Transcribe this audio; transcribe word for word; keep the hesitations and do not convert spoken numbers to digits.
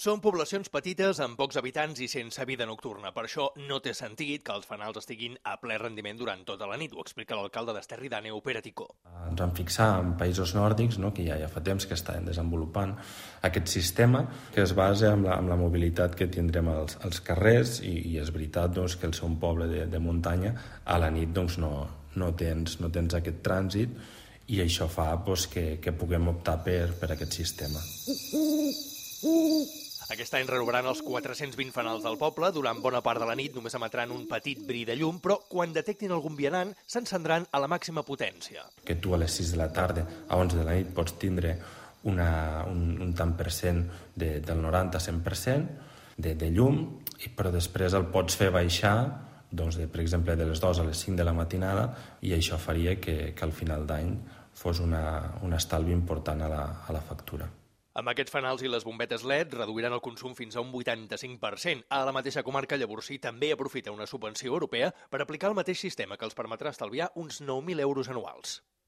Són poblacions petites amb pocs habitants i sense vida nocturna. Per això no té sentit que els fanals estiguin a ple rendiment durant tota la nit, ho explica l'alcalde d'Esterri d'Àneu, Pere Ticó. Ens vam fixar en països nòrdics, no, que ja, ja fa temps que estan desenvolupant aquest sistema que es basa en la, en la mobilitat que tindrem als, als carrers i, i és veritat doncs, que el ser un poble de, de muntanya a la nit doncs, no, no, tens, no tens aquest trànsit i això fa doncs, que, que puguem optar per, per aquest sistema. Aquest any renovaran els quatre-cents vint fanals del poble. Durant bona part de la nit només emetran un petit bri de llum, però quan detectin algun vianant s'encendran a la màxima potència. Que tu a les sis de la tarda a onze de la nit pots tindre una, un, un tant per cent de, del noranta a cent per cent de, de llum, però després el pots fer baixar doncs, de, per exemple, de les dues a les cinc de la matinada i això faria que, que al final d'any fos una, un estalvi important a la, a la factura. Amb aquests fanals i les bombetes L E D reduiran el consum fins a un vuitanta-cinc per cent. A la mateixa comarca, Llavorsí també aprofita una subvenció europea per aplicar el mateix sistema que els permetrà estalviar uns nou mil euros anuals.